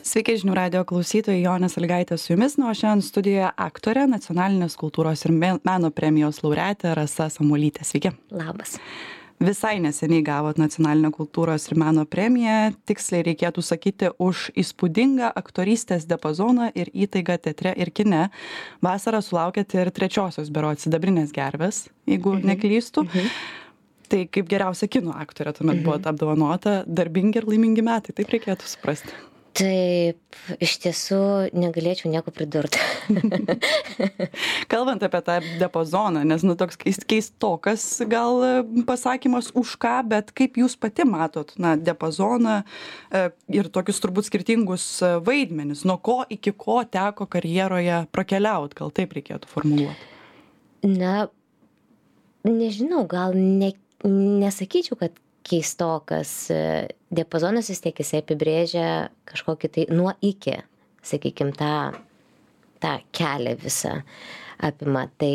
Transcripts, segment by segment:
Sveiki žinių radio klausytojai, Jonė Sąlygaitė su jumis, o šiandien studijoje aktorė, nacionalinės kultūros ir meno premijos laureatė Rasa Samuolytė. Sveiki. Labas. Visai neseniai gavot nacionalinę kultūros ir meno premiją, tiksliai reikėtų sakyti, už įspūdingą aktorystės diapazoną ir įtaigą teatre ir kine. Vasarą sulaukėte ir trečiosios berods sidabrinės gervės, jeigu neklystu. Tai kaip geriausia kino aktorė tuomet buvot apdovanota, darbingi ir laimingi metai, taip reikėtų suprasti. Taip, iš tiesų negalėčiau nieko pridurti. Kalbant apie tą diapazoną, nes toks keistokas gal pasakymas už ką, bet kaip jūs pati matot diapazoną ir tokius turbūt skirtingus vaidmenis, nuo ko iki ko teko karjeroje prakeliaut, gal taip reikėtų formuluoti? Na, nežinau, gal nesakyčiau, kad keistokas. Diapazonas vis tiek jisai apibrėžia kažkokį tai nuo iki, sakykime, tą kelią visą apima. Tai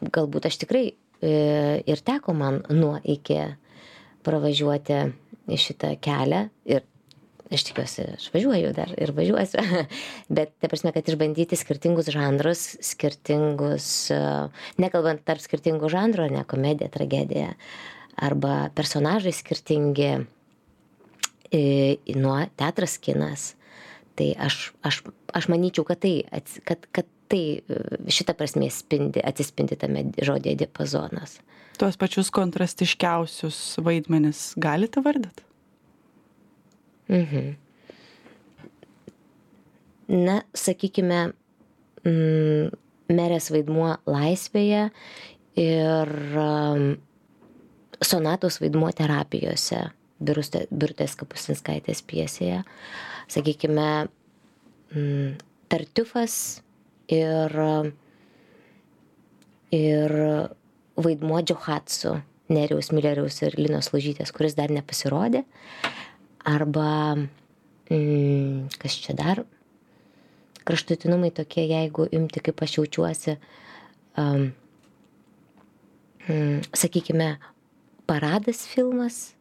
galbūt aš tikrai ir teko man nuo iki pravažiuoti šitą kelią ir aš tikiuosi, aš važiuoju dar ir važiuosiu, bet ta prasme, kad išbandyti skirtingus žanrus, nekalbant tarp skirtingų žanrų, ne komedija, tragedija, arba personažai skirtingi, nuo teatras, kinas. Tai aš manyčiau, kad tai šita prasmė atsispindi tame žodėje diapazonas. Tuos pačius kontrastiškiausius vaidmenis galite vardyti? Na, sakykime, merės vaidmuo Laisvėje ir Sonatos vaidmuo Terapijose, Birutės Kapustinskaitės pjesėje. Sakykime, Tartiufas ir vaidmuo Džohatsu, Nerijaus Mileriaus ir Linos Lužytės, kuris dar nepasirodė. Arba, kas čia dar, kraštutinumai tokie, jeigu imti, kaip aš jaučiuosi, sakykime, Paradas filmas,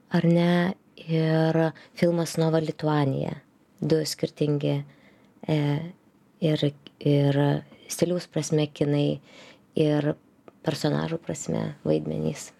ar ne, ir filmas Nova Lituanija. Du skirtingi ir stiliaus prasme kinai ir personažų prasme vaidmenys.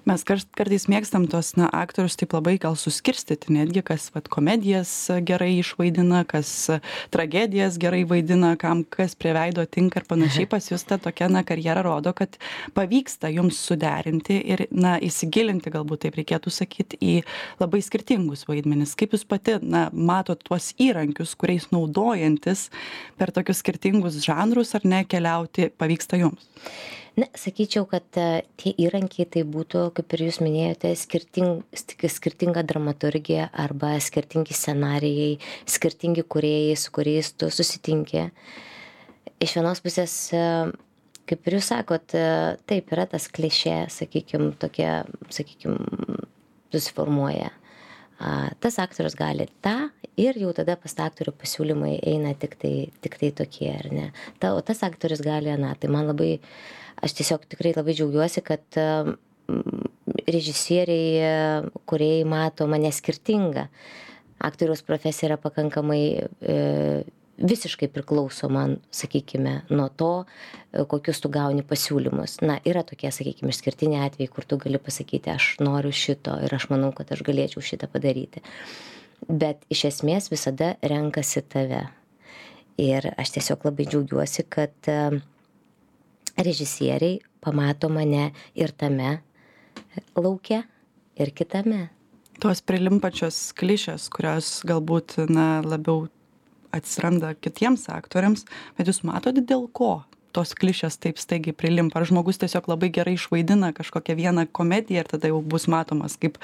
Mes kartais mėgstam tos aktorius taip labai gal suskirstyti, netgi kas komedijas gerai išvaidina, kas tragedijas gerai vaidina, kam kas prie veido tinka ir panašiai. Pas jūs ta tokia karjera rodo, kad pavyksta jums suderinti ir įsigilinti, galbūt taip reikėtų sakyti, į labai skirtingus vaidmenis. Kaip jūs pati matot tuos įrankius, kuriais naudojantis per tokius skirtingus žanrus ar ne keliauti pavyksta jums? Na, sakyčiau, kad tie įrankiai tai būtų, kaip ir jūs minėjote, skirtinga dramaturgija arba skirtingi scenarijai, skirtingi kūrėjai, su kuriais tu susitinki. Iš vienos pusės, kaip ir jūs sakot, taip yra tas klišė, sakykime, susiformuoja. Tas aktorius gali tą ir jau tada pas tą aktorių pasiūlymai eina tik tai tokie, ar ne? O tas aktorius gali tai man labai... Aš tiesiog tikrai labai džiaugiuosi, kad režisieriai, kūrėjai mato mane skirtingą. Aktoriaus profesija yra pakankamai visiškai priklauso man, sakykime, nuo to, kokius tu gauni pasiūlymus. Na, yra tokie, sakykime, išskirtiniai atvejai, kur tu gali pasakyti, aš noriu šito ir aš manau, kad aš galėčiau šitą padaryti. Bet iš esmės visada renkasi tave. Ir aš tiesiog labai džiaugiuosi, kad režisieriai pamato mane ir tame lauke, ir kitame. Tos prilimpančios klišės, kurios galbūt labiau atsiranda kitiems aktoriams, bet jūs matote dėl ko tos klišės taip staigiai prilimpa? Ar žmogus tiesiog labai gerai išvaidina kažkokią vieną komediją ir tada jau bus matomas kaip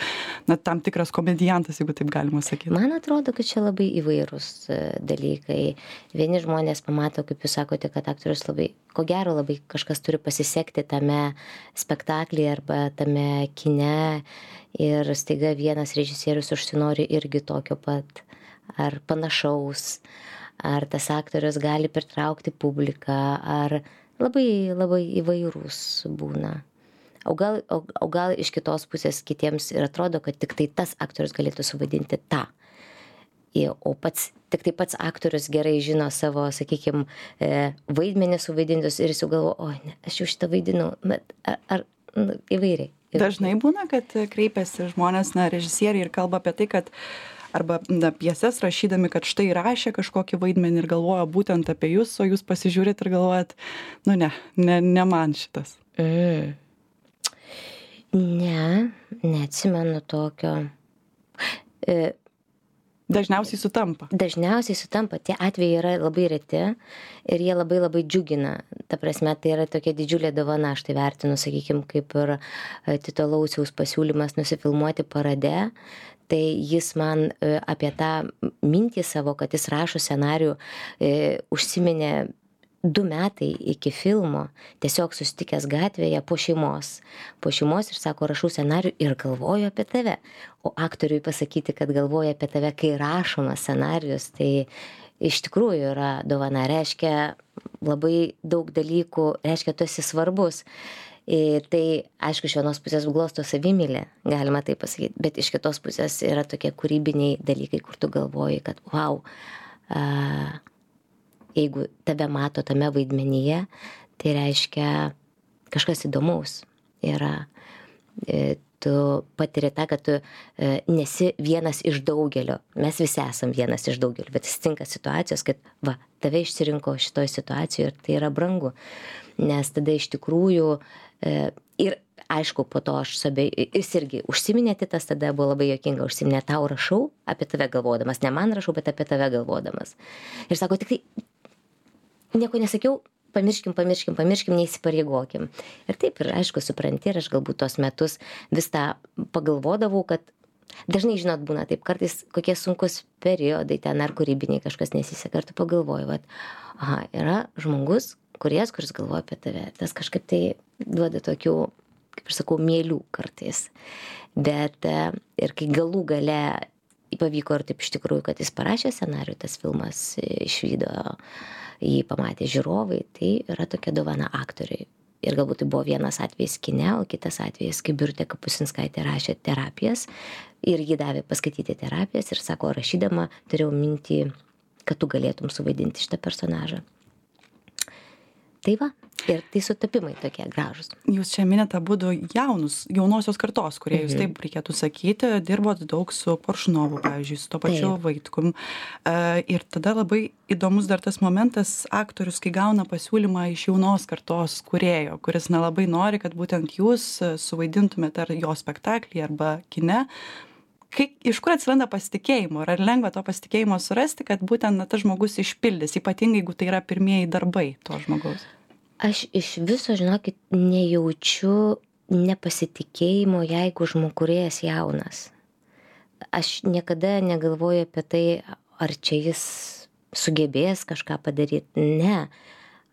tam tikras komediantas, jeigu taip galima sakyti? Man atrodo, kad čia labai įvairūs dalykai. Vieni žmonės pamato, kaip jūs sakote, kad aktorius labai, ko gero, labai kažkas turi pasisekti tame spektaklyje arba tame kine ir staiga vienas režisierius užsinori irgi tokio pat ar panašaus. Ar tas aktorius gali pritraukti publiką, ar labai, labai įvairūs būna. O gal iš kitos pusės kitiems ir atrodo, kad tik tai tas aktorius galėtų suvaidinti tą. O tik tai pats aktorius gerai žino savo, sakykime, vaidmenį suvaidintus ir jis jau galvo, oi, ne, aš jau šitą vaidinau, bet įvairiai. Dažnai būna, kad kreipiasi žmonės, režisieriai ir kalba apie tai, kad arba pjeses rašydami, kad štai rašė kažkokį vaidmenį ir galvoja būtent apie jūs, o jūs pasižiūrit ir galvojat, ne man šitas. Ne, neatsimenu tokio. Dažniausiai sutampa. Dažniausiai sutampa. Tie atvejai yra labai reti ir jie labai labai džiugina. Ta prasme, tai yra tokia didžiulė dovana, aš tai vertinu, sakykime, kaip ir Tito Lauciaus pasiūlymas nusifilmuoti parade. Tai jis man apie tą mintį savo, kad jis rašo scenarijų, užsiminė 2 metai iki filmo, tiesiog susitikęs gatvėje po šeimos ir sako, rašau scenarijų ir galvoju apie tave. O aktoriui pasakyti, kad galvoju apie tave, kai rašomas scenarijus, tai iš tikrųjų yra dovana, reiškia labai daug dalykų, reiškia, tu esi svarbus. Tai, aišku, iš vienos pusės glosto savimylę, galima tai pasakyti, bet iš kitos pusės yra tokie kūrybiniai dalykai, kur tu galvoji, kad wow, jeigu tave mato tame vaidmenyje, tai reiškia kažkas įdomaus yra. Tu patiri tą, kad tu nesi vienas iš daugelio. Mes visi esam vienas iš daugelio, bet atsitinka situacijos, kad tave išsirinko šitoj situacijoje ir tai yra brangu. Nes tada iš tikrųjų ir aišku, po to jis irgi užsiminė, Titas tada buvo labai juokinga, užsiminė, tau rašau apie tave galvodamas, ne man rašau, bet apie tave galvodamas. Ir sako, tik tai nieko nesakiau, pamirškim, neįsipareigokim. Ir taip, ir aišku, supranti, ir aš galbūt tos metus vis tą pagalvodavau, kad dažnai, žinot, būna taip, kartais kokie sunkus periodai ten ar kūrybiniai kažkas nesiseka, ir tu pagalvoji, yra žmogus, kuris galvoja apie tave. Tas kažkaip tai duoda tokių, kaip aš sakau, mielių kartais. Bet ir kai galų gale pavyko ir taip iš tikrųjų, kad jis parašė scenarijų, tas filmas išvydo, jį pamatė žiūrovai, tai yra tokia dovana aktoriui. Ir galbūt tai buvo vienas atvejis kine, o kitas atvejis, kai Birutė Kapustinskaitė rašė terapijas ir jį davė paskaityti terapijas ir sako, rašydama turėjau mintį, kad tu galėtum suvaidinti šitą personažą. Tai ir tai sutapimai tokie gražus. Jūs čia minėte abudu jaunosios kartos, kurie jūs taip reikėtų sakyti, dirbot daug su Koršunovu, pavyzdžiui, su to pačiu Vaitkum. Ir tada labai įdomus dar tas momentas, aktorius, kai gauna pasiūlymą iš jaunos kartos kūrėjo, kuris labai nori, kad būtent jūs suvaidintumėte ar jo spektaklį arba kine. Iš kur atsiranda pasitikėjimo? Ar lengva to pasitikėjimo surasti, kad būtent tas žmogus išpildys, ypatingai jeigu tai yra pirmieji darbai to žmogaus? Aš iš viso, žinokit, nejaučiu nepasitikėjimo, jeigu žmogurėjas jaunas. Aš niekada negalvoju apie tai, ar čia jis sugebės kažką padaryti. Ne.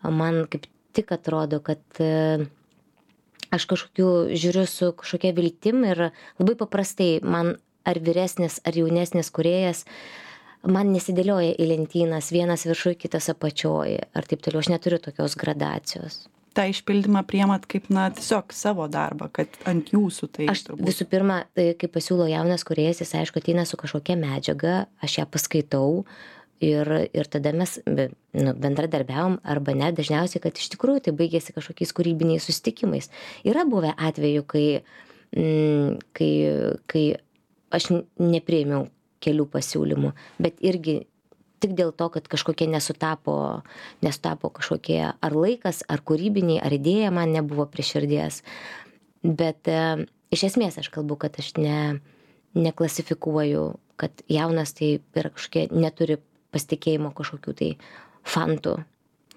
Man kaip tik atrodo, kad aš žiūriu su kažkokia viltim ir labai paprastai man ar vyresnis, ar jaunesnis kūrėjas, man nesidėlioja į lentynas, vienas viršui, kitas apačioj, ar taip toliau, aš neturiu tokios gradacijos. tą išpildymą priimat kaip tiesiog savo darbą, kad ant jūsų tai. Aš visų pirma, kai pasiūlo jaunas kūrėjas, jis aišku ateina su kažkokia medžiaga, aš ją paskaitau ir tada mes bendradarbiavom arba ne, dažniausiai, kad iš tikrųjų tai baigėsi kažkokiais kūrybiniais susitikimais. Yra buvę atvejų, kai aš nepriėmiau kelių pasiūlymų, bet irgi tik dėl to, kad kažkokie nesutapo kažkokie ar laikas, ar kūrybiniai, ar idėja man nebuvo prie širdies. Bet iš esmės aš kalbu, kad aš neklasifikuoju, kad jaunas tai yra kažkokie, neturi pasitikėjimo kažkokių tai fantų.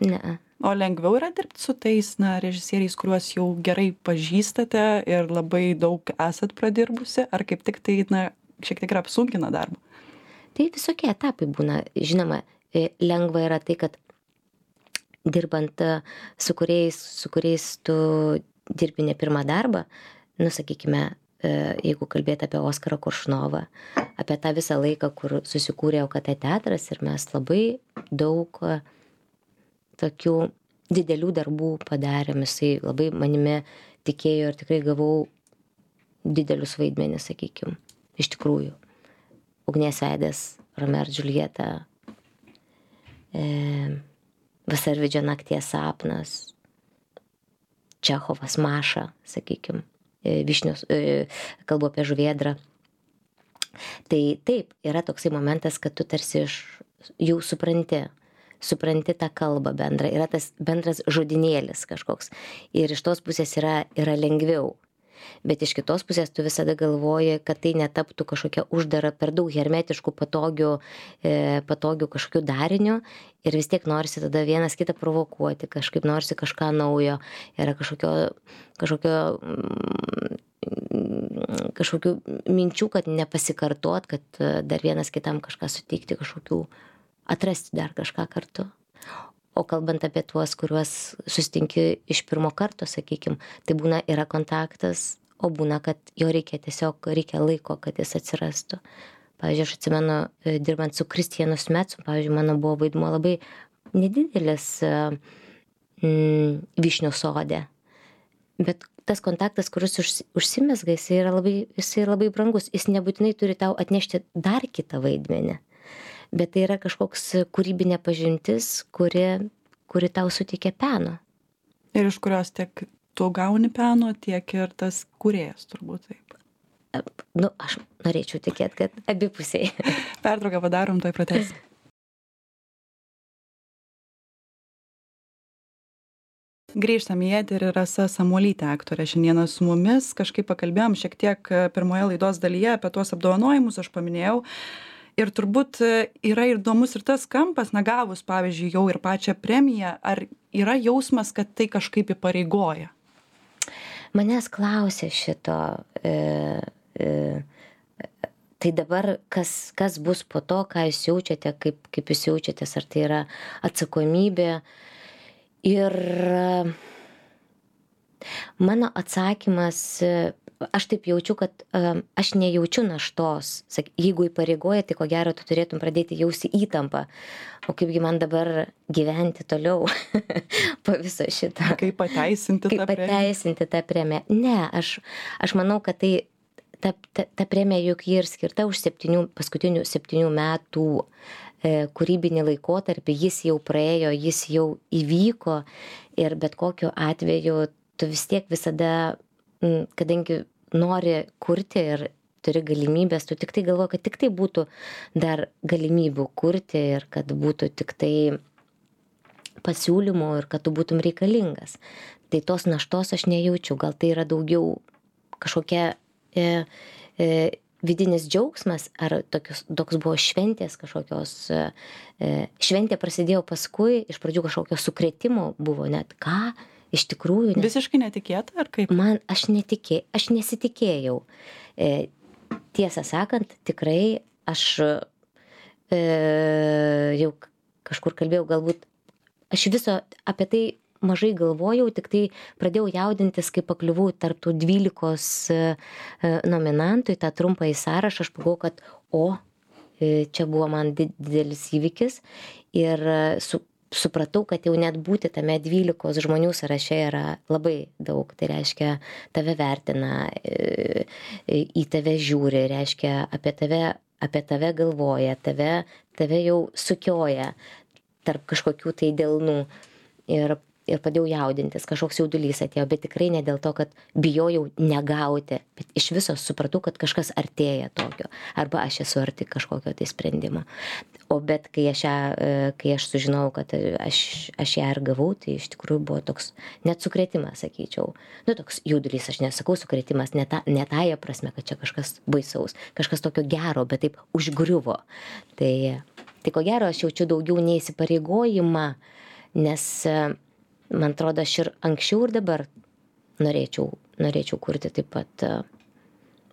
Ne. O lengviau yra dirbti su tais režisieriais, kuriuos jau gerai pažįstate ir labai daug esat pradirbusi, ar kaip tik tai šiek tiek apsunkina darbą? Tai visokie etapai būna. Žinoma, lengva yra tai, kad dirbant su kuriais tu dirbi ne pirmą darbą, sakykime, jeigu kalbėti apie Oskarą Koršunovą, apie tą visą laiką, kur susikūrė OKT teatras ir mes labai daug tokių didelių darbų padarėm, jisai labai manimi tikėjo ir tikrai gavau didelius vaidmenis, sakykime, iš tikrųjų. Ugnies veidas Romeo ir Džiuljeta, Vasarvidžio nakties sapnas, Čechovas Maša, sakykim, Vyšnios, kalbu apie žuvėdrą. Tai taip, yra toksai momentas, kad tu tarsi jau supranti tą kalbą bendrą, yra tas bendras žodinėlis kažkoks. Ir iš tos pusės yra lengviau. Bet iš kitos pusės tu visada galvoji, kad tai netaptų kažkokia uždara, per daug hermetiškų, patogių kažkokių darinių ir vis tiek norisi tada vienas kitą provokuoti, kažkaip norisi kažką naujo, yra kažkokių minčių, kad nepasikartot, kad dar vienas kitam kažką suteikti, atrasti dar kažką kartu. O kalbant apie tuos, kuriuos susitinki iš pirmo karto, sakykim, tai yra kontaktas, o būna, kad jo reikia laiko, kad jis atsirastų. Pavyzdžiui, aš atsimenu, dirbant su Kristijanu Smetsu, pavyzdžiui, mano buvo vaidmuo labai nedidelis Vyšnių sode. Bet tas kontaktas, kuris užsimezga, jis yra labai brangus. Jis nebūtinai turi tau atnešti dar kitą vaidmenį. Bet tai yra kažkoks kūrybinė pažintis, kuri tau suteikia peno. Ir iš kurios tiek tu gauni peno, tiek ir tas kūrėjas, turbūt taip. Aš norėčiau tikėti, kad abipusiai. Pertrauką padarom, tuoj pratęsim. Grįžtam į eterį, Rasa Samuolytė, aktorė, šiandieną su mumis. Kažkaip pakalbėjom šiek tiek pirmoje laidos dalyje apie tuos apdovanojimus, aš paminėjau. Ir turbūt yra įdomus ir tas kampas, gavus, pavyzdžiui, jau ir pačią premiją, ar yra jausmas, kad tai kažkaip įpareigoja? Manęs klausė šito, tai dabar kas bus po to, ką jūs jaučiate, kaip jūs jaučiatės, ar tai yra atsakomybė. Ir mano atsakymas, aš taip jaučiu, kad aš nejaučiu naštos. Jeigu įpareigoja, tai ko gero tu turėtum pradėti jausti įtampą. O kaipgi man dabar gyventi toliau po viso šito. Kaip pateisinti tą premiją? Ne, aš manau, kad ta premija juk ji ir skirta už paskutinių 7 metų kūrybinį laikotarpį. Jis jau praėjo, jis jau įvyko ir bet kokiu atveju tu vis tiek visada, kadangi nori kurti ir turi galimybės, tu tik tai galvoji, kad tik tai būtų dar galimybių kurti ir kad būtų tik tai pasiūlymų ir kad tu būtum reikalingas. Tai tos naštos aš nejaučiu, gal tai yra daugiau kažkokia vidinis džiaugsmas, ar toks buvo šventės kažkokios, šventė prasidėjo paskui, iš pradžių kažkokio sukrėtimo buvo, net ką, iš tikrųjų. Visiškai netikėta, ar kaip? Aš nesitikėjau. Tiesą sakant, tikrai aš jau kažkur kalbėjau, galbūt aš viso apie tai mažai galvojau, tik tai pradėjau jaudintis, kai pakliuvau tarp tų 12 nominantų į tą trumpąjį sąrašą. Aš pagalvojau, kad čia buvo man didelis įvykis ir supratau, kad jau net būti tame 12 žmonių sąraše yra labai daug. Tai reiškia, tave vertina, į tave žiūri, reiškia, apie tave galvoja, tave jau sukioja tarp kažkokių tai delnų. Ir pradėjau jaudintis, kažkoks jaudulys atėjo, bet tikrai ne dėl to, kad bijojau negauti, bet iš viso supratau, kad kažkas artėja tokio, arba aš esu arti kažkokio tai sprendimo. Bet kai aš sužinojau, kad aš ją ir gavau, tai iš tikrųjų buvo toks net sukrėtimas, sakyčiau. Toks jaudulys, aš nesakau sukrėtimas, ne tąja prasme, kad čia kažkas baisaus, kažkas tokio gero, bet taip užgriuvo. Tai ko gero aš jaučiu daugiau neįsipareigojimą, nes man atrodo, aš ir anksčiau ir dabar norėčiau kurti taip pat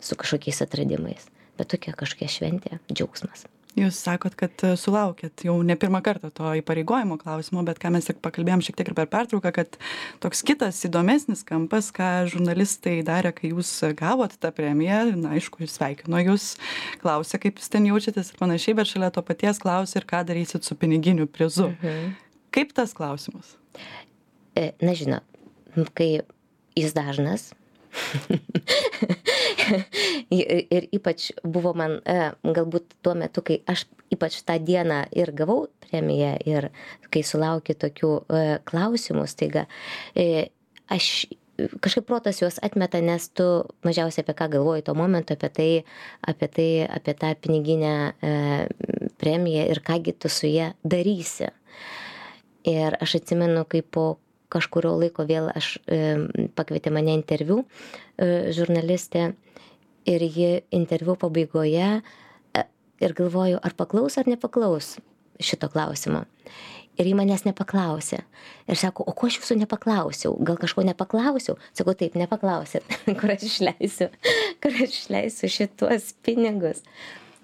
su kažkokiais atradimais. Bet tokia kažkokia šventė, džiaugsmas. Jūs sakot, kad sulaukėt jau ne pirmą kartą to įpareigojimo klausimo, bet ką mes ir pakalbėjom šiek tiek ir per pertrauką, kad toks kitas įdomesnis kampas, ką žurnalistai darė, kai jūs gavot tą premiją, aišku, sveikino jūs, klausė, kaip jūs ten jaučiatės ir panašiai, bet šalia to paties klausė ir ką darysit su piniginiu prizu. Kaip tas klausimas? Na, žinot, kai jis dažnas, Ir ypač buvo man, galbūt tuo metu, kai aš ypač tą dieną ir gavau premiją, ir kai sulaukiu tokių klausimų staiga, aš kažkaip protas juos atmeta, nes tu mažiausiai apie ką galvoji tuo momentu, apie tą piniginę premiją ir kągi tu su ją darysi. Ir aš atsimenu, kai po kažkurio laiko vėl pakvietė mane interviu žurnalistė, ir ji interviu pabaigoje ir galvoju, ar paklaus ar nepaklaus šito klausimo. Ir ji manęs nepaklausė. Ir sako, o ko aš jūsų nepaklausiau? Gal kažko nepaklausiau? Sakau, taip, nepaklausėt, kur aš išleisiu šituos pinigus.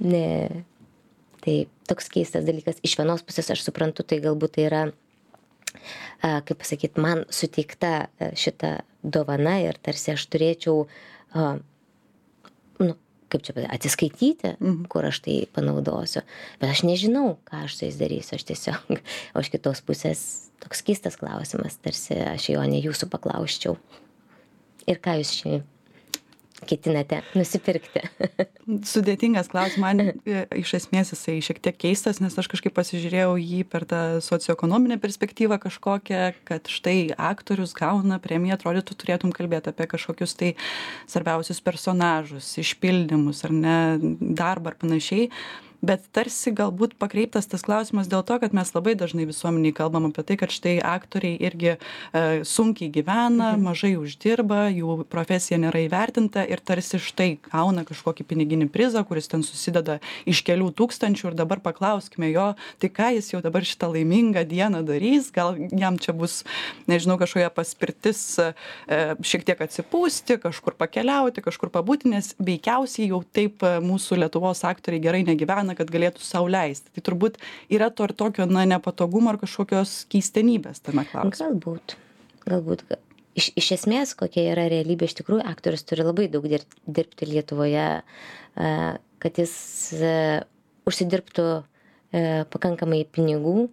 Ne. Tai toks keistas dalykas. Iš vienos pusės aš suprantu, tai galbūt tai yra, kaip pasakyti, man suteikta šita dovana ir tarsi aš turėčiau, kaip čia pasakyti, atsiskaityti, kur aš tai panaudosiu. Bet aš nežinau, ką aš su jais darysiu. Aš tiesiog, o iš kitos pusės toks keistas klausimas, tarsi aš jo ne jūsų paklausčiau. Ir ką jūs šiandien ketinate nusipirkti? Sudėtingas klausimas, man iš esmės jisai šiek tiek keistas, nes aš kažkaip pasižiūrėjau jį per tą socioekonominę perspektyvą kažkokią, kad štai aktorius gauna premiją, atrodytų turėtum kalbėti apie kažkokius tai svarbiausius personažus, išpildymus ar ne, darbą ar panašiai. Bet tarsi galbūt pakreiptas tas klausimas dėl to, kad mes labai dažnai visuomeniai kalbam apie tai, kad štai aktoriai irgi sunkiai gyvena, mažai uždirba, jų profesija nėra įvertinta ir tarsi štai gauna kažkokį piniginį prizą, kuris ten susideda iš kelių tūkstančių ir dabar paklauskime jo, tai ką jis jau dabar šitą laimingą dieną darys, gal jam čia bus, nežinau, kažkokia paspirtis šiek tiek atsipūsti, kažkur pakeliauti, kažkur pabūti, nes veikiausiai jau taip mūsų Lietuvos aktoriai gerai negyvena, kad galėtų sau leisti. Tai turbūt yra to ir tokio, nepatogumo ar kažkokios keistenybės tame klausime. Galbūt. Iš esmės, kokia yra realybė, iš tikrųjų, aktorius turi labai daug dirbti Lietuvoje, kad jis užsidirbtų pakankamai pinigų,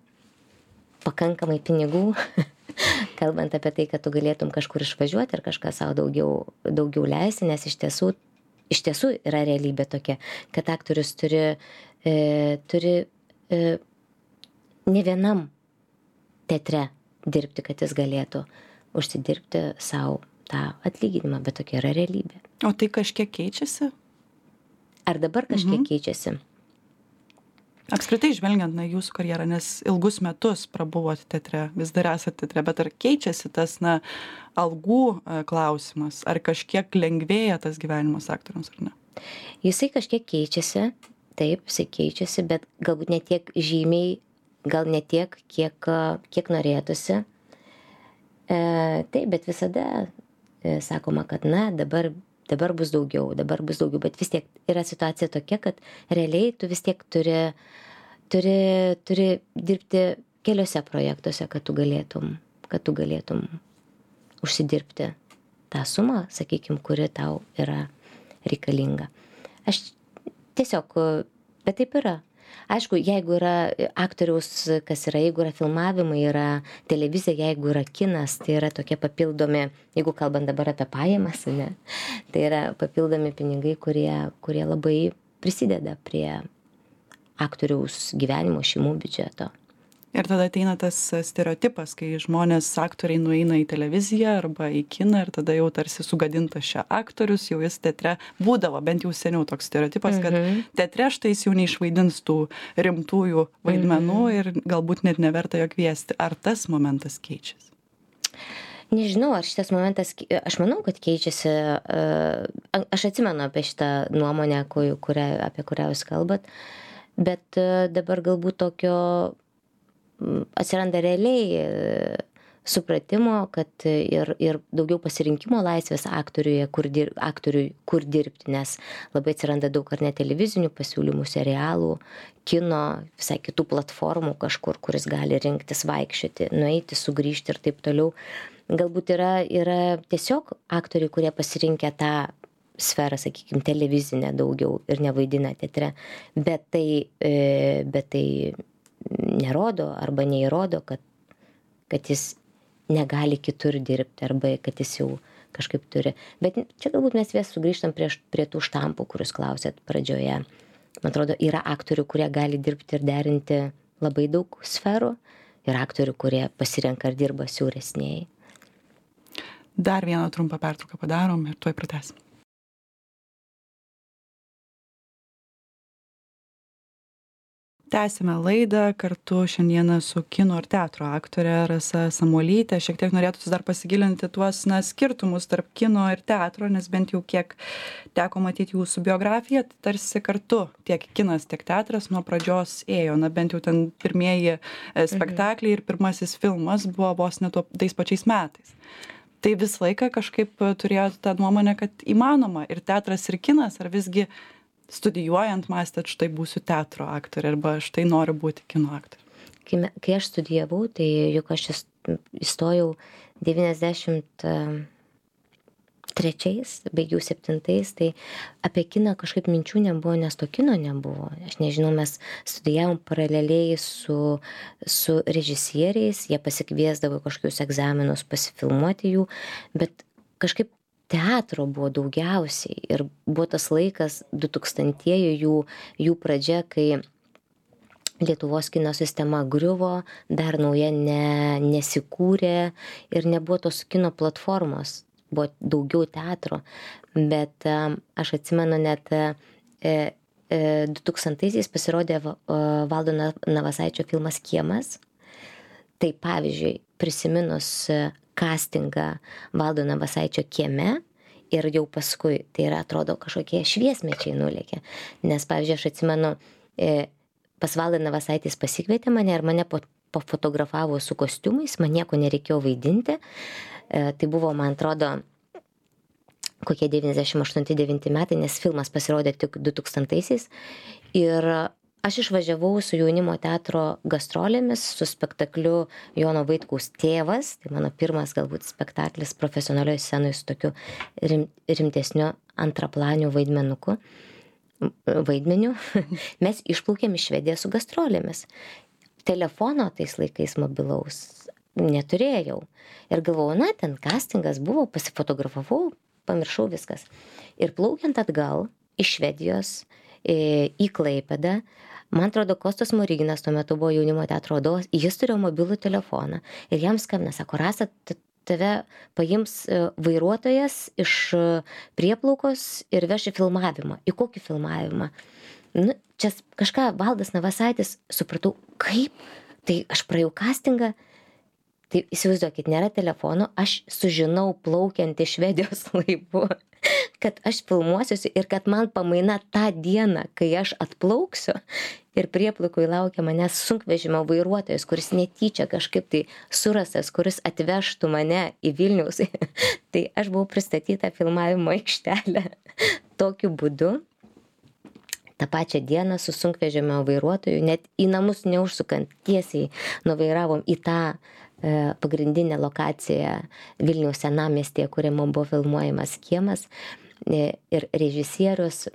kalbant apie tai, kad tu galėtum kažkur išvažiuoti ir kažką savo daugiau leisti, nes iš tiesų yra realybė tokia, kad aktorius turi ne vienam teatre dirbti, kad jis galėtų užsidirbti savo tą atlyginimą, bet tokia yra realybė. O tai kažkiek keičiasi? Ar dabar kažkiek keičiasi? Apskritai žvelgiant jūsų karjerą, nes ilgus metus prabuvot teatre, vis dar esate teatre, bet ar keičiasi tas algų klausimas, ar kažkiek lengvėja tas gyvenimas aktoriams ar ne? Jisai kažkiek keičiasi, taip, jisai keičiasi, bet galbūt ne tiek žymiai, gal ne tiek, kiek norėtųsi. Taip, bet visada sakoma, kad dabar bus daugiau, bet vis tiek yra situacija tokia, kad realiai tu vis tiek turi dirbti keliose projektuose, kad tu galėtum užsidirbti tą sumą, sakykime, kuri tau yra reikalinga. Aš tiesiog, bet taip yra. Aišku, jeigu yra aktoriaus, jeigu yra filmavimai, yra televizija, jeigu yra kinas, tai yra tokie papildomi, jeigu kalbant dabar apie pajamas, ne, tai yra papildomi pinigai, kurie labai prisideda prie aktoriaus gyvenimo, šeimų biudžeto. Ir tada ateina tas stereotipas, kai žmonės, aktoriai nueina į televiziją arba į kiną ir tada jau tarsi sugadintas čia aktorius, jau jis teatre būdavo, bent jau seniau toks stereotipas, kad teatre štai jis jau neišvaidins tų rimtųjų vaidmenų ir galbūt net neverta jo kviesti. Ar tas momentas keičiasi? Nežinau, ar šitas momentas, aš manau, kad keičiasi. Aš atsimenu apie šitą nuomonę, apie kurią jūs kalbat, bet dabar galbūt tokio atsiranda realiai supratimo, kad ir daugiau pasirinkimo laisvės aktoriui, kur dirbti, nes labai atsiranda daug ar ne televizinių pasiūlymų, serialų, kino, visai kitų platformų kažkur, kuris gali rinktis, vaikščioti, nueiti, sugrįžti ir taip toliau. Galbūt yra tiesiog aktoriai, kurie pasirinkę tą sferą, sakykime, televizinę daugiau ir nevaidina teatre, bet tai nerodo arba neįrodo, kad jis negali kitur dirbti arba kad jis jau kažkaip turi. Bet čia galbūt mes vėl sugrįžtam prie tų štampų, kuriuos klausėt pradžioje. Man atrodo, yra aktorių, kurie gali dirbti ir derinti labai daug sferų, ir aktorių, kurie pasirenka ir dirba siauresniai. Dar vieną trumpą pertrauką padarom ir tuoj pratęsim. Tęsime laidą kartu šiandieną su kino ir teatro aktore Rasa Samuolyte. Šiek tiek norėtųsi dar pasigilinti tuos skirtumus tarp kino ir teatro, nes bent jau kiek teko matyti jūsų biografiją, tai tarsi kartu tiek kinas, tiek teatras nuo pradžios ėjo. Bent jau ten pirmieji spektakliai ir pirmasis filmas buvo vos ne tais pačiais metais. Tai visą laiką kažkaip turėjote tą nuomonę, kad įmanoma ir teatras, ir kinas, ar visgi studijuojant mąstėt, štai būsiu teatro aktorė arba štai noriu būti kino aktorė? Kai aš studijavau, tai juk aš įstojau 93, baigiau 7, tai apie kiną kažkaip minčių nebuvo, nes to kino nebuvo. Aš nežinau, mes studijavom paraleliai su režisieriais, jie pasikviesdavo kažkokius egzaminus pasifilmuoti jų, bet kažkaip teatro buvo daugiausiai ir buvo tas laikas 2000-ieji jų pradžia, kai Lietuvos kino sistema griuvo, dar nauja nesikūrė ir nebuvo tos kino platformos, buvo daugiau teatro, bet aš atsimenu net 2000-aisiais pasirodė Valdo Navasaičio filmas Kiemas. Tai pavyzdžiui, prisiminus castingą Valdo Navasaičio Kieme ir jau paskui, tai yra, atrodo, kažkokie šviesmečiai nulėkė. Nes, pavyzdžiui, aš atsimenu, pas Valdą Navasaitis pasikvietė mane ir mane pofotografavo su kostiumais, man nieko nereikėjo vaidinti. Tai buvo, man atrodo, kokie 98-99 metai, nes filmas pasirodė tik 2000-aisiais. Ir aš išvažiavau su jaunimo teatro gastrolėmis, su spektakliu Jono Vaitkaus Tėvas, tai mano pirmas galbūt spektaklis profesionalioje scenoje su tokiu rimtesniu antraplaniu vaidmeniu. Mes išplaukėm iš Švedijos su gastrolėmis. Telefono tais laikais mobilaus neturėjau. Ir galvojau, ten castingas buvo, pasifotografavau, pamiršau viskas. Ir plaukiant atgal iš Švedijos į Klaipėdą, man atrodo, Kostas Smoriginas tuo metu buvo jaunimo teatro vadovas, jis turėjo mobilų telefoną ir jam skambina, sako, Rasa, tave paims vairuotojas iš prieplaukos ir veš į filmavimą. Į kokį filmavimą? Čia kažką Valdas Navasaitis, supratau, kaip? Tai aš praėjau castingą, tai įsivaizduokit, nėra telefono, aš sužinau plaukiant iš Švedijos laivu, kad aš filmuosiuosi ir kad man pamaina tą dieną, kai aš atplauksiu ir prieplaukui laukia manęs sunkvežimio vairuotojas, kuris netyčia kažkaip tai surastas, kuris atvežtų mane į Vilniaus. Tai aš buvau pristatyta filmavimo aikštelę tokiu būdu. tą pačią dieną su sunkvežimio vairuotoju, net į namus neužsukant, tiesiai nuvairavom į tą pagrindinę lokaciją Vilniaus senamiestyje, kuriame buvo filmuojamas Kiemas. Ir režisierius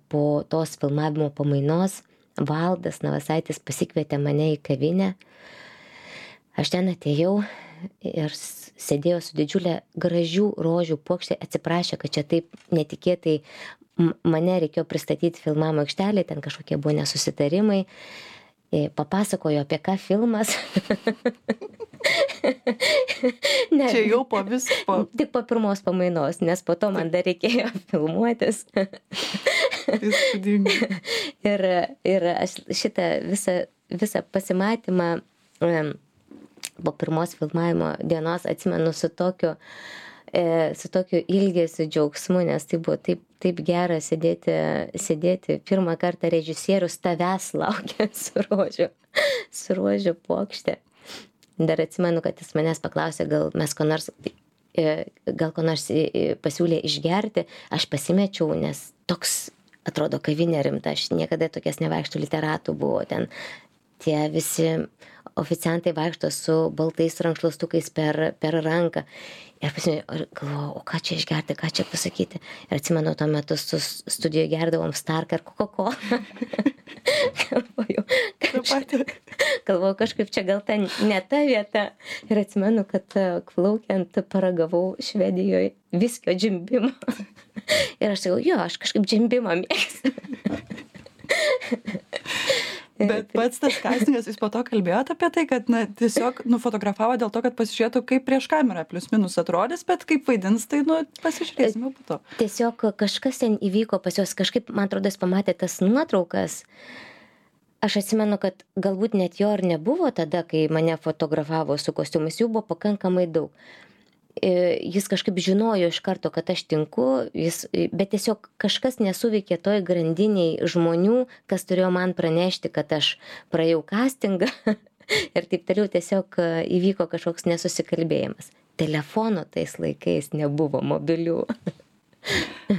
po tos filmavimo pamainos Valdas Navasaitis pasikvietė mane į kavinę. Aš ten atėjau ir sėdėjo su didžiulė gražių rožių puokštė, atsiprašė, kad čia taip netikėtai mane reikėjo pristatyti filmavimo aikštelėje, ten kažkokie buvo nesusitarimai. Papasakojo apie ką filmas. Čia jau po visko. Tik po pirmos pamainos, nes po to man dar reikėjo filmuotis. Ir aš šitą visą pasimatymą po pirmos filmavimo dienos atsimenu su tokiu ilgesiu džiaugsmu, nes tai buvo taip gera sėdėti pirmą kartą režisierius tavęs laukia su rožių puokšte. Dar atsimenu, kad jis manęs paklausė, gal ko nors pasiūlė išgerti, aš pasimečiau, nes toks atrodo kavinė rimta, aš niekada tokias nevaikštų literatų buvo ten. Tie visi oficiantai vaikšto su baltais rankšluostukais per ranką. Ir galvojau, o ką čia išgerti, ką čia pasakyti. Ir atsimenu, tuo metu su studijoje gerdavom Starką ir Coca-Colą. Galvojau, Galvoju, kažkaip čia gal ten ne ta vieta. Ir atsimenu, kad plaukiant paragavau Švedijoje viskio džimbimo. Ir aš sakau, jo, aš kažkaip džimbimą mėgstu. Bet pats tas kastingas, jūs po to kalbėjote apie tai, kad na, tiesiog nufotografavo dėl to, kad pasižiūrėtų, kaip prieš kamerą plius minus atrodys, bet kaip vaidins, tai pasižiūrėsime po to. Tiesiog kažkas ten įvyko pas juos, kažkaip, man atrodo, jis pamatė tas nuotraukas. Aš atsimenu, kad galbūt net jo ir nebuvo tada, kai mane fotografavo su kostiumais, jų buvo pakankamai daug. Jis kažkaip žinojo iš karto, kad aš tinku, bet tiesiog kažkas nesuveikė toj grandiniai žmonių, kas turėjo man pranešti, kad aš praėjau castingą ir taip toliau tiesiog įvyko kažkoks nesusikalbėjimas. Telefono tais laikais nebuvo mobilių.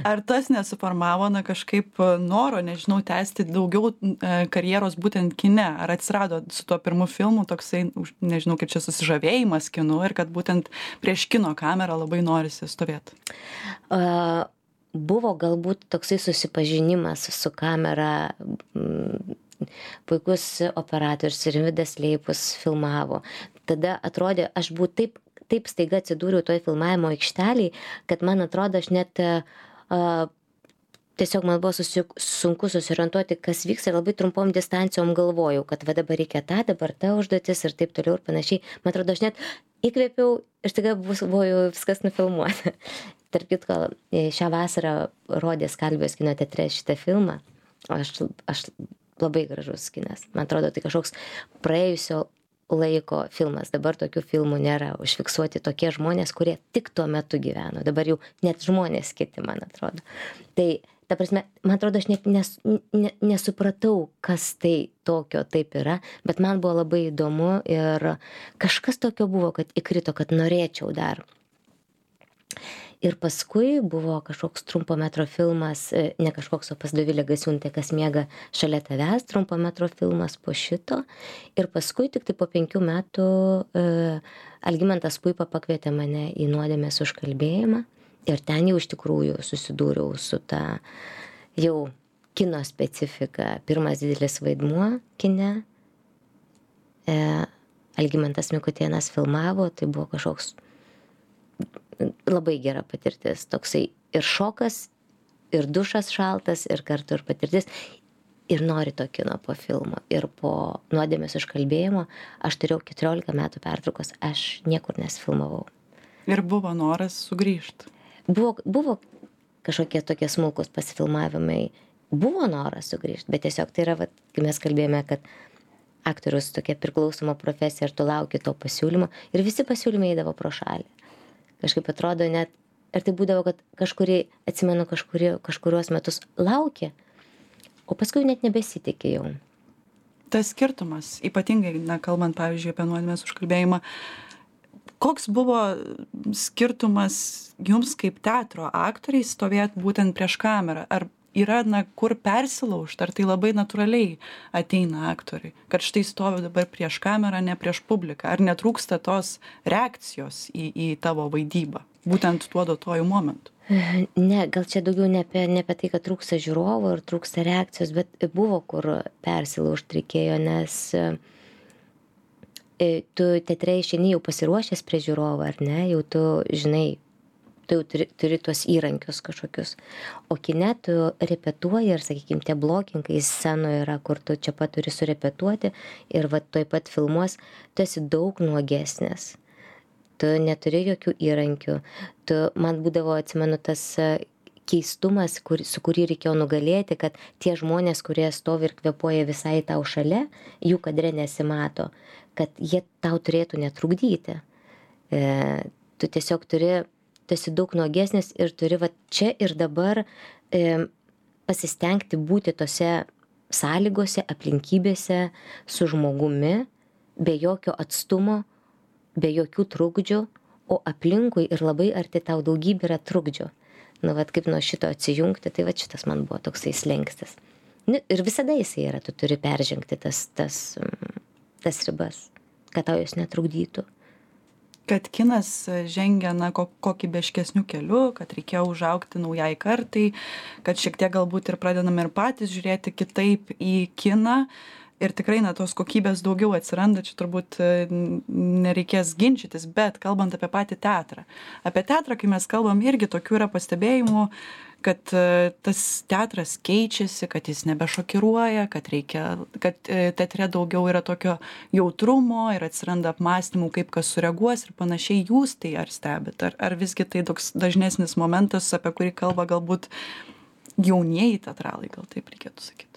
Ar tas nesuformavo kažkaip noro, nežinau, tęsti daugiau karjeros būtent kine? Ar atsirado su tuo pirmu filmu toksai, nežinau, kaip čia susižavėjimas kinu ir kad būtent prieš kino kamerą labai norisi stovėti? Buvo galbūt toksai susipažinimas su kamera. Puikus operatorius Rimvydas Leipus filmavo. Tada atrodė, aš buvau taip staiga atsidūriau toj filmavimo aikšteliai, kad man atrodo, aš net tiesiog man buvo sunku susiorientuoti, kas vyks ir labai trumpom distancijom galvojau, kad va dabar reikia dabar ta užduotis ir taip toliau ir panašiai. Man atrodo, aš net įkvėpiau ir staiga buvo jau viskas nufilmuota. Tarp kitko, šią vasarą rodė Skalvijos kino teatre šitą filmą. Aš labai gražus kinas. Man atrodo, tai kažkoks praėjusio laiko filmas. Dabar tokių filmų nėra. Užfiksuoti tokie žmonės, kurie tik tuo metu gyveno. Dabar jau net žmonės kiti, man atrodo. Tai, ta prasme, man atrodo, aš net nesupratau, kas tai tokio taip yra, bet man buvo labai įdomu ir kažkas tokio buvo, kad įkrito, kad norėčiau dar. Ir paskui buvo kažkoks trumpo metro filmas, ne kažkoks, o pas Dovilę Gasiūnaitę, kas miega šalia tavęs, trumpo metro filmas po šito. Ir paskui tik tai po 5 metų Algimantas Puipa pakvietė mane į Nuodėmės užkalbėjimą. Ir ten jau iš tikrųjų susidūriau su ta jau kino specifika. Pirmas didelis vaidmuo kine. Algimantas Mikutėnas filmavo, tai buvo kažkoks labai gera patirtis, toksai ir šokas, ir dušas šaltas, ir kartu ir patirtis, ir nori to kino po filmo. Ir po Nuodėmės užkalbėjimo aš turėjau 14 metų pertraukos, aš niekur nesifilmavau. Ir buvo noras sugrįžti? Buvo kažkokie tokie smulkus pasifilmavimai, buvo noras sugrįžti, bet tiesiog tai yra, kai mes kalbėjome, kad aktorius tokia priklausoma profesija ir tu lauki to pasiūlymo, ir visi pasiūlymai eidavo pro šalį. Kažkaip atrodo net, ir tai būdavo, kad atsimenu, kažkuriuos metus laukė, o paskui net nebesitikė jau. Tas skirtumas, ypatingai, kalbant, pavyzdžiui, apie Nuodėmės užkalbėjimą, koks buvo skirtumas jums kaip teatro aktoriai stovėti būtent prieš kamerą? Ar yra, kur persilaužti, ar tai labai natūraliai ateina aktoriai, kad štai stoviu dabar prieš kamerą, ne prieš publiką, ar netrūksta tos reakcijos į tavo vaidybą, būtent tuo duotuoju momentu? Ne, gal čia daugiau ne apie tai, kad trūksta žiūrovo ir trūksta reakcijos, bet buvo kur persilaužti reikėjo, nes tu teatre išeini jau pasiruošęs prie žiūrovo, ar ne, jau tu žinai, tu jau turi tuos įrankius kažkokius. O kine tu repetuoji ir, sakykime, tie blokingai scenoje yra, kur tu čia pat turi surepetuoti ir toj pat filmuos, tu esi daug nuogesnis. Tu neturi jokių įrankių. Man būdavo, atsimenu, tas keistumas, su kurį reikėjo nugalėti, kad tie žmonės, kurie stovi ir kvėpuoja visai tau šalia, jų kadre nesimato, kad jie tau turėtų netrukdyti. Tu tiesiog tu esi daug nuogesnis ir turi čia ir dabar pasistengti būti tose sąlygose, aplinkybėse su žmogumi, be jokio atstumo, be jokių trukdžių, o aplinkui ir labai arti tau daugybė yra trukdžių. Kaip nuo šito atsijungti, tai šitas man buvo toksai slengstis. Ir visada jisai yra, tu turi peržengti tas ribas, kad tau jos netrukdytų. Kad kinas žengia kokybiškesniu keliu, kad reikėjo užaugti naujai kartai, kad šiek tiek galbūt ir pradedame ir patys žiūrėti kitaip į kiną. ir tikrai na tos kokybės daugiau atsiranda, čia turbūt nereikės ginčytis, bet kalbant apie patį teatrą. Apie teatrą, kai mes kalbam, irgi tokių yra pastebėjimų, kad tas teatras keičiasi, kad jis nebešokiruoja, kad teatre daugiau yra tokio jautrumo ir atsiranda apmąstymų, kaip kas sureaguos ir panašiai. Jūs tai ar stebit, ar visgi tai toks dažnesnis momentas, apie kurį kalba galbūt jaunieji teatralai, gal taip reikėtų sakyti?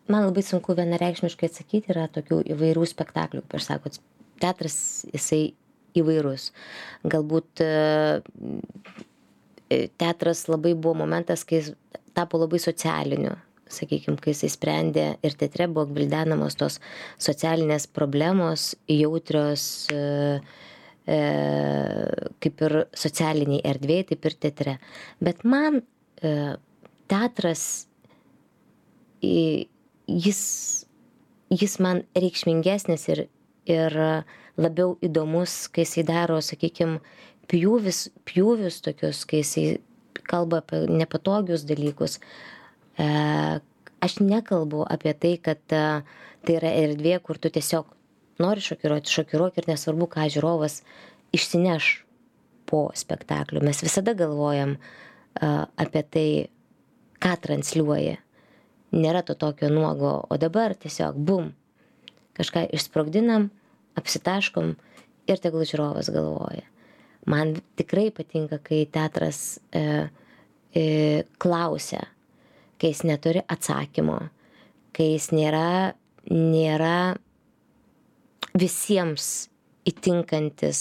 Man labai sunku vienareikšmiškai atsakyti, yra tokių įvairių spektaklių, kaip aš sakot, teatras jisai įvairus. Galbūt teatras labai buvo momentas, kai jis tapo labai socialiniu, sakykime, kai jisai sprendė ir teatre buvo gvildenamos tos socialinės problemos, jautrios kaip ir socialiniai erdvėje, taip ir teatre. Bet man teatras, jis man reikšmingesnis ir labiau įdomus, kai jisai daro, sakykime, pjūvius tokius, kai jisai kalba apie nepatogius dalykus. Aš nekalbu apie tai, kad tai yra erdvė, kur tu tiesiog nori šokiruok ir nesvarbu, ką žiūrovas išsineš po spektaklio. Mes visada galvojam apie tai, ką transliuoja. Nėra to tokio nuogo, o dabar tiesiog bum, kažką išsprogdinam, apsitaškom ir tegul žiūrovas galvoja. Man tikrai patinka, kai teatras klausia, kai jis neturi atsakymo, kai jis nėra visiems įtinkantis.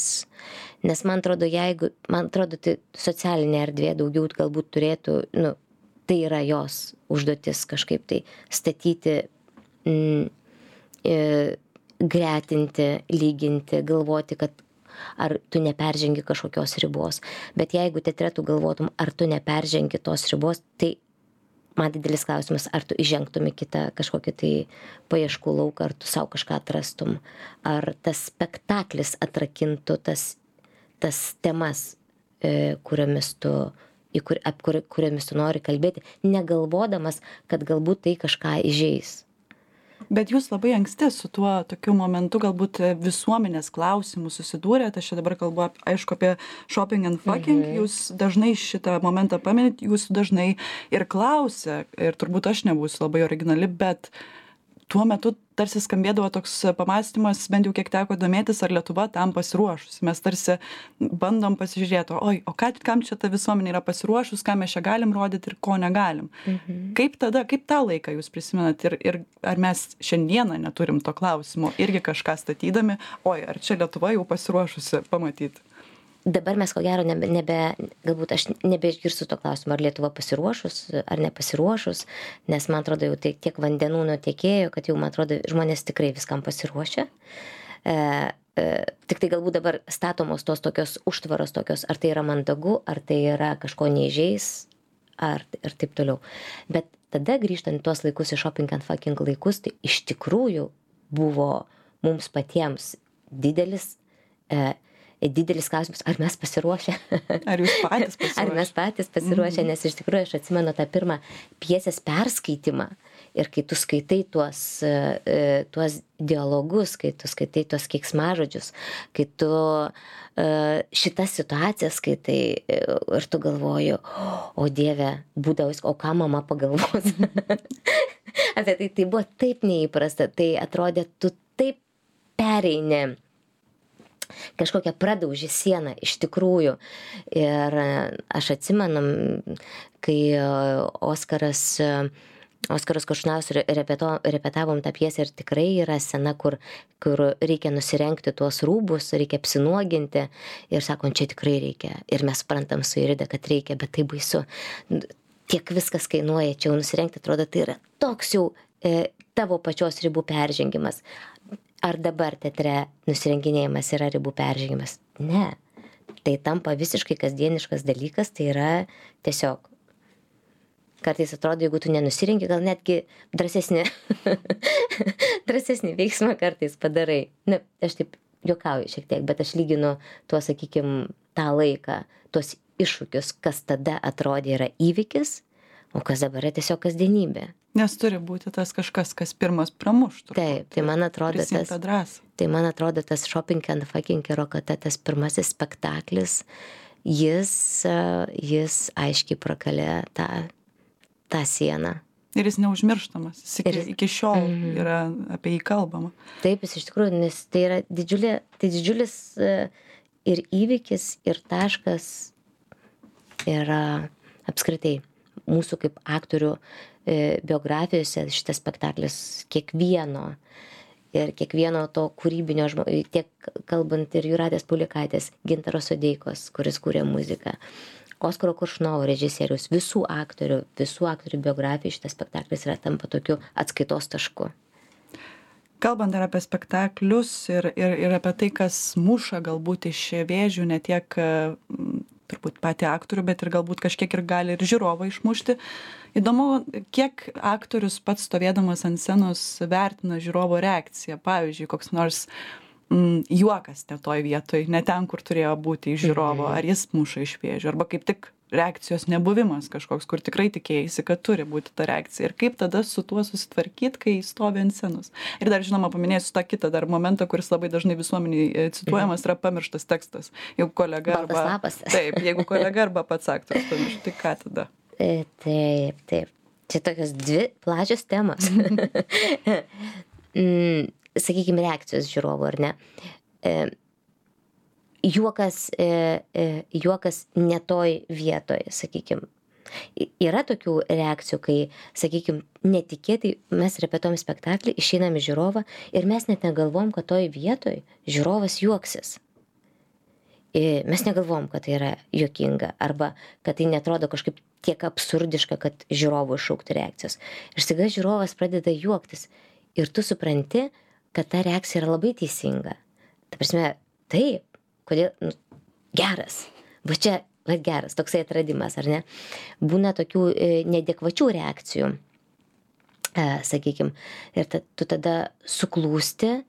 Nes man atrodo, tai socialinė erdvė daugiau galbūt turėtų, tai yra jos užduotis kažkaip tai statyti, gretinti, lyginti, galvoti, kad ar tu neperžengi kažkokios ribos. Bet jeigu teatre tu galvotum, ar tu neperžengi tos ribos, tai man didelis klausimas, ar tu įžengtum į kitą kažkokį tai paieškų lauką, ar tu savo kažką atrastum, ar tas spektaklis atrakintų tas temas, kuriomis tu nori kalbėti, negalvodamas, kad galbūt tai kažką įžeis. Bet jūs labai anksti su tuo tokiu momentu galbūt visuomenės klausimų susidūrėte. Aš čia dabar kalbu, aišku, apie shopping and fucking. Jūs dažnai šitą momentą paminit, jūs dažnai ir klausia, ir turbūt aš nebūsiu labai originali, bet tuo metu tarsi skambėdavo toks pamąstymas, bent jau kiek teko domėtis, ar Lietuva tam pasiruošusi. Mes tarsi bandom pasižiūrėti, kam čia ta visuomenė yra pasiruošus, ką mes čia galim rodyti ir ko negalim. Kaip tą laiką jūs prisimenat ir ar mes šiandieną neturim to klausimo, irgi kažką statydami, ar čia Lietuva jau pasiruošusi pamatyti? Dabar mes ko gero galbūt aš nebeišgirsiu to klausimo, ar Lietuva pasiruošus, ar nepasiruošus, nes man atrodo jau tiek vandenų nutekėjo, kad jau man atrodo žmonės tikrai viskam pasiruošia. Tik tai galbūt dabar statomos tos tokios užtvaros tokios, ar tai yra mandagu, ar tai yra kažko neįžeis, ir taip toliau. Bet tada grįžtant tuos laikus į shopping and fucking laikus, tai iš tikrųjų buvo mums patiems didelis klausimas, ar mes pasiruošę. Ar jūs patys pasiruošę? Ar mes patys pasiruošę, nes iš tikrųjų aš atsimenu tą pirmą pjesės perskaitimą ir kai tu skaitai tuos dialogus, kai tu skaitai tuos keiksmažodžius, kai tu šitas situacijas skaitai ir tu galvoji, o Dieve, būdavus, o ką mama pagalvos. Apie tai buvo taip neįprasta, tai atrodė, tu taip pereini kažkokią pradaužį sieną iš tikrųjų. Ir aš atsimenu, kai Oskaras Koršunauskas repetavom tą pjesę ir tikrai yra scena, kur reikia nusirengti tuos rūbus, reikia apsinuoginti ir sakom, čia tikrai reikia. Ir mes suprantam su Irida, kad reikia, bet tai baisu. Tiek viskas kainuoja, čia jau nusirengti, atrodo, tai yra toks jau tavo pačios ribų peržengimas. Ar dabar teatre nusirenginėjimas yra ribų peržengimas? Ne. Tai tampa visiškai kasdieniškas dalykas, tai yra tiesiog. Kartais atrodo, jeigu tu nenusirengi, gal netgi drąsesnį veiksmą kartais padarai. Aš taip juokauju šiek tiek, bet aš lyginu tuo, sakykime, tą laiką, tuos iššūkius, kas tada atrodė yra įvykis, o kas dabar yra tiesiog kasdienybė. Nes turi būti tas kažkas, kas pirmas pramuštų. Taip, tai man atrodo Prisiimt tą drąsą. tai man atrodo tas Shopping and Fucking Rokata, tas pirmasis spektaklis, jis aiškiai prakalė tą sieną. Ir jis neužmirštamas. Jis iki šiol yra apie jį kalbama. Taip, jis iš tikrųjų, nes tai yra didžiulis ir įvykis, ir taškas yra apskritai mūsų kaip aktorių biografijose šitas spektaklis kiekvieno to kūrybinio žmogaus, tiek kalbant ir Jūratės Paulikaitės, Gintaro Sodeikos, kuris kūrė muziką, Oskaro Koršunovo režisierius, visų aktorių biografijų šitas spektaklis yra tampa tokiu atskaitos tašku. Kalbant dar apie spektaklius ir apie tai, kas muša galbūt iš vėžių, ne tiek turbūt patį aktorių, bet ir galbūt kažkiek ir gali ir žiūrovą išmušti. Įdomu, kiek aktorius pats stovėdamas ant scenos vertina žiūrovo reakciją. Pavyzdžiui, koks nors juokas ne toj vietoj, ne ten, kur turėjo būti iš žiūrovo, ar jis muša iš vėžių, arba kaip tik reakcijos nebuvimas kažkoks, kur tikrai tikėjaisi, kad turi būti ta reakcija. Ir kaip tada su tuo susitvarkyti, kai stovi ant scenos. Ir dar, žinoma, paminėsiu tą kitą dar momentą, kuris labai dažnai visuomeniai cituojamas, yra pamirštas tekstas. Jeigu kolega jeigu kolega arba pats aktorius pamiršta, tai ką tada? Taip. Čia tokios dvi plačios temos. Sakykime, reakcijos žiūrovų, ar ne? Juokas ne toj vietoj, sakykime. Yra tokių reakcijų, kai, sakykime, netikėtai mes repetuojam spektaklį, išeinam į žiūrovą ir mes net negalvom, kad toj vietoj žiūrovas juoksis. Mes negalvom, kad tai yra juokinga arba kad tai netrodo kažkaip tiek absurdiška, kad žiūrovų iššaukti reakcijos. Ir staiga žiūrovas pradeda juoktis ir tu supranti, kad ta reakcija yra labai teisinga. Ta prasme, taip, kodėl, geras, va čia, geras, toksai atradimas, ar ne? Būna tokių neadekvačių reakcijų, sakykime, ir tu tada suklūsti,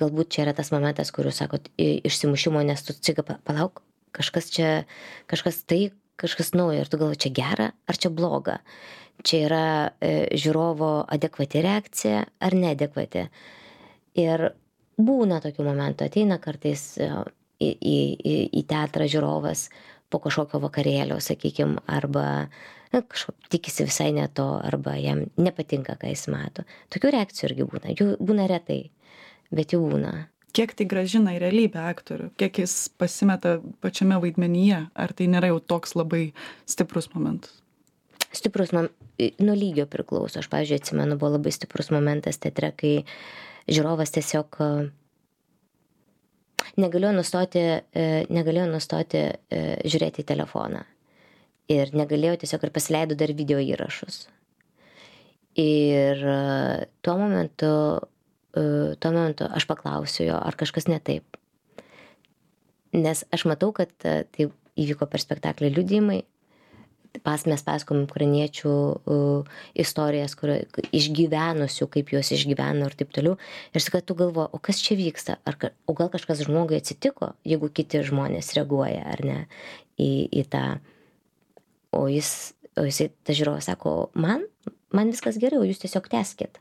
galbūt čia yra tas momentas, kur jūs sakot, išsimušimo, nes tu ciga, palauk, kažkas naujo, ir tu galvoji, čia gera ar čia bloga. Čia yra žiūrovo adekvati reakcija ar neadekvati. Ir būna tokių momentų, ateina kartais į teatrą žiūrovas po kažkokio vakarėlio, sakykime, arba tikisi visai ne to, arba jam nepatinka, ką jis mato. Tokių reakcijų irgi būna. Jų būna retai, bet jų būna. Kiek tai grąžina į realybę aktorių? Kiek jis pasimeta pačiame vaidmenyje? Ar tai nėra jau toks labai stiprus momentas? Stiprus nuo lygio priklauso. Aš, pavyzdžiui, atsimenu, buvo labai stiprus momentas teatre, kai žiūrovas tiesiog negalėjo nustoti žiūrėti į telefoną. Ir negalėjo tiesiog ir pasileido dar video įrašus. Ir tuo momentu aš paklausiu jo, ar kažkas ne taip. Nes aš matau, kad tai įvyko per spektaklį liudijimai. Mes pasakom ukrainiečių istorijas, išgyvenusių, kaip juos išgyveno ir taip toliau. Ir sakai, tu galvo, o kas čia vyksta? O gal kažkas žmogui atsitiko, jeigu kiti žmonės reaguoja, ar ne, į tą. O jisai, ta žiūrovas sako, man viskas gerai, o jūs tiesiog tęskit.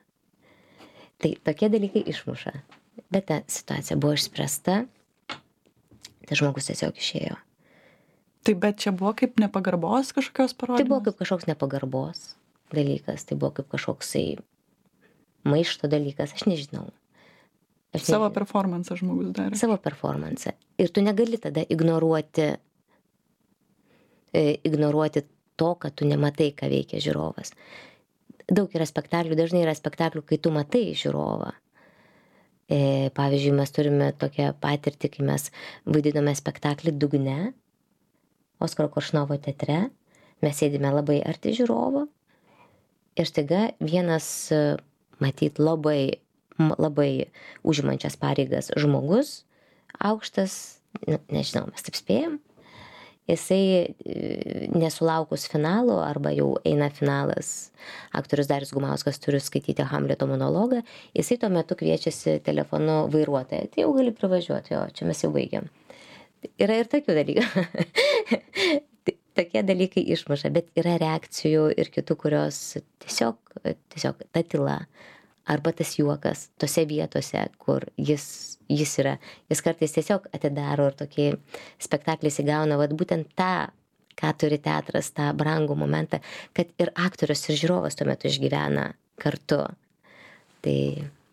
Tai tokie dalykai išmuša. Bet ta situacija buvo išspręsta, tas žmogus tiesiog išėjo. Tai bet čia buvo kaip nepagarbos kažkokios parodymas? Tai buvo kaip kažkoks nepagarbos dalykas, tai buvo kaip kažkoksai maišto dalykas, aš nežinau. Savo performansą žmogus darė. Savo performansą. Ir tu negali tada ignoruoti to, kad tu nematai, ką veikia žiūrovas. Daug yra spektaklių, dažnai yra spektaklių, kai tu matai žiūrovą. Pavyzdžiui, mes turime tokią patirtį, kai mes vaidinome spektaklį Dugne, Oskaro Koršunovo teatre, mes sėdime labai arti žiūrovo ir staiga vienas, matyt, labai užimančias pareigas žmogus, aukštas, nežinau, mes taip spėjom, jisai nesulaukus finalo, arba jau eina finalas, aktorius Darius Gumauskas turi skaityti Hamleto monologą, jisai tuo metu kviečiasi telefonu vairuotoją, tai jau gali privažiuoti, jo, čia mes jau baigiam. Yra ir tokių dalykų. tokie dalykai išmuša, bet yra reakcijų ir kitų, kurios tiesiog ta tyla arba tas juokas tose vietose, kur jis yra. Jis kartais tiesiog atidaro ir tokį spektaklį įgauna, vat būtent tą, ką turi teatras, tą brangų momentą, kad ir aktorius, ir žiūrovas tuo metu išgyvena kartu. Tai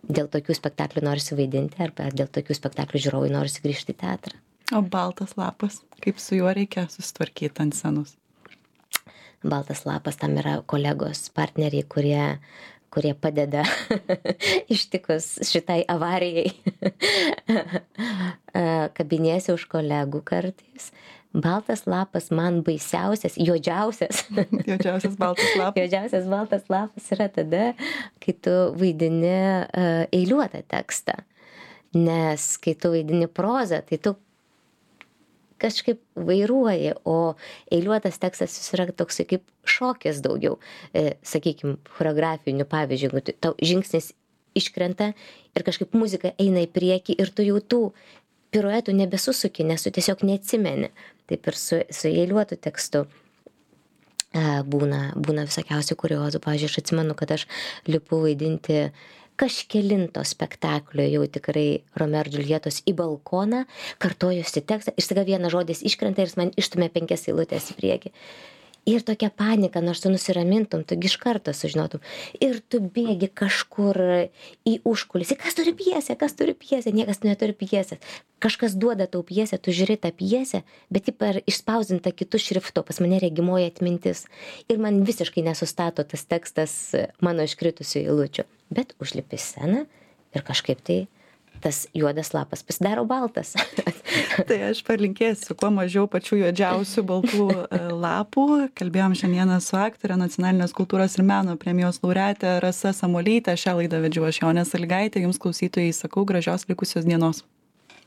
dėl tokių spektaklių norisi vaidinti, arba dėl tokių spektaklių žiūrovai norisi grįžti į teatrą. O baltas lapas, kaip su juo reikia susitvarkyti ant scenos? Baltas lapas, tam yra kolegos, partneriai, kurie padeda ištikus šitai avarijai. Kabinėsi už kolegų kartais. Baltas lapas man baisiausias, juodžiausias. Juodžiausias baltas lapas. Juodžiausias baltas lapas yra tada, kai tu vaidini eiliuotą tekstą. Nes kai tu vaidini prozą, tai tu kažkaip vairuoji, o eiliuotas tekstas jis yra toksai kaip šokis daugiau. Sakykime, choreografinių pavyzdžių, jeigu tau žingsnis iškrenta ir kažkaip muzika eina į priekį ir tu jau tų piruetų nebesusuki, nes tu tiesiog neatsimeni. Taip ir su eiliuotu tekstu būna visokiausių kuriozų. Pavyzdžiui, aš atsimenu, kad aš lipu vaidinti kažkelinto spektaklio jau tikrai Romeo ir Džiuljetos į balkoną, kartojusi tekstą ir staiga vienas žodis iškrenta ir jis man išstumia 5 eilutes į priekį. Ir tokia panika, nors tu nusiramintum, tu iš karto sužinotum. Ir tu bėgi kažkur į užkulisį. Kas turi pjesę? Niekas neturi pjesės. Kažkas duoda tau pjesę, tu žiūri tą pjesę, bet ji per išspausdinta kitų šriftų, pas mane regimoji atmintis. Ir man visiškai nesustato tas tekstas mano iškritusių eilučių. Bet užlipi sceną ir kažkaip tai tas juodas lapas pasidaro baltas. Tai aš palinkėsiu kuo mažiau pačių juodžiausių baltų lapų. Kalbėjom šiandieną su aktore, Nacionalinės kultūros ir meno premijos laureate Rasa Samuolyte. Šią laidą vedžiau aš, Jonė Sąlygaitė. Jums klausytojai sakau gražios likusios dienos.